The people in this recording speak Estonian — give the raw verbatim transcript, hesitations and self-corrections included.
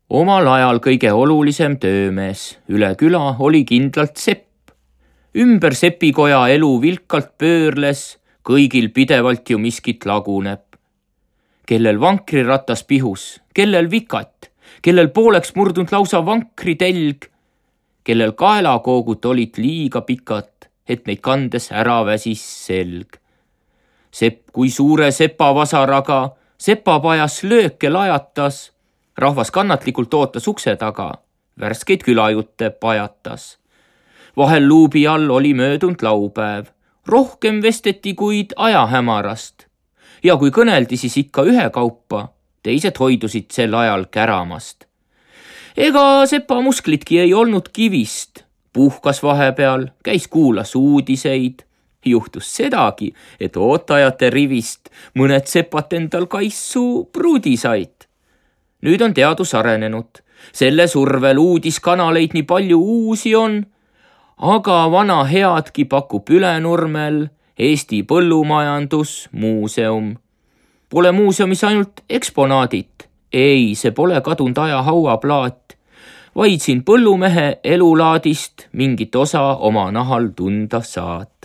Omal ajal kõige olulisem töömees üle küla oli kindlalt sepp. Ümber sepikoja elu vilkalt pöörles, kõigil pidevalt ju miskit laguneb. Kellel vankriratas pihus, kellel vikat, kellel pooleks murdunud lausa vankri telg, kellel kaelakoogud olid liiga pikad, et neid kandes ära väsis selg. Sepp kui suure sepavasaraga sepapajas lööke lajatas, rahvas kannatlikult ootas ukse taga, värskeid külajutte pajatas. Vahel luubi all oli möödunud laupäev, rohkem vesteti kuid ajahämarast. Ja kui kõneldi, siis ikka ühe kaupa, teised hoidusid sel ajal käramast. Ega sepa musklitki ei olnud kivist, puhkas vahepeal, käis kuulas uudiseid. Juhtus sedagi, et ootajate rivist mõned sepat endal kaissu pruudi said. Nüüd on teadus arenenud, selle survel uudiskanaleid nii palju uusi on, aga vana headki pakub Ülenurmel Eesti Põllumajandusmuuseum. Pole muuseumis ainult eksponaadid, ei, see pole kadunud aja hauaplaat, vaid siin põllumehe elulaadist mingit osa oma nahal tunda saad.